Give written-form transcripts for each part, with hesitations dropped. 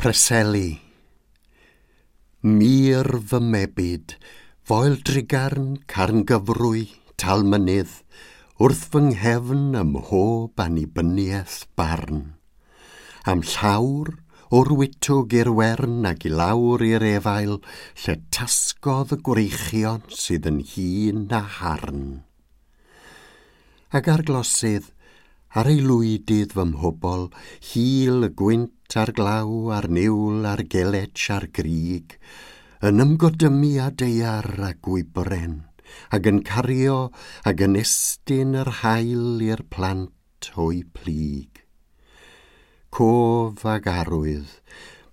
Preseli. Mur fy mebyd, foel drugarn, carn gyfrwy, tal mynydd, wrth fy nghefn ym mhob annibyniaeth barn. Am llawr, o'r wytwg i'r wern ac i lawr i'r efail, lle tasgodd y gwreichion sydd yn hŷn na harn. Ac ar glosydd, ar ei lwydydd fy mhobol, hil y gwynt a'r glaw a'r niwl a'r geletch a'r grig, yn ymgodymu â daear a gwybren, ac yn cario ac yn estyn yr haul i'r plant o'u plyg. Cof ag arwydd,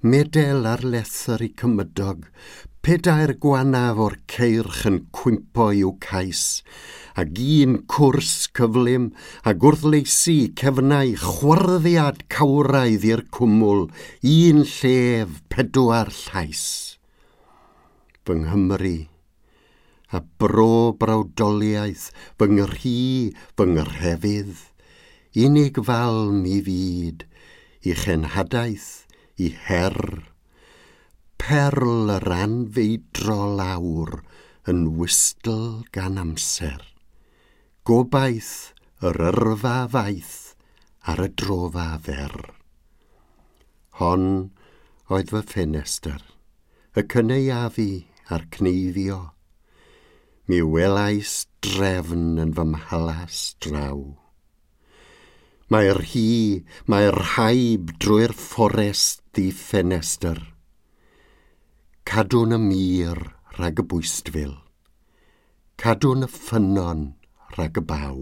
medel ar lethr i cymydog, pedair gwanaf o'r ceirch yn cwympo i'w cais, ac un cwrs cyflym, a gwrthleisi cefnau chwarddiad cawraidd i'r cwmwl, un llef, pedwar llais. Fy Nghymru, a bro brawdoliaeth, fy nghrhi, fy nghrefydd, unig falm i fyd, i chenhadaeth, i her, perl yr anfeidrol awr yn wystl gan amser. Gobaith yr yrfa faith ar y drofa fer. Hon oedd fy ffenestr, y cynaeafu a'r cneifio. Mi welais drefn yn fy mhalas draw. Mae'r hi, mae'r rhaib drwy'r fforest ddi-ffenestr. Cadwn y mur rhag y bwystfil. Cadwn y ffynnon rhag y baw.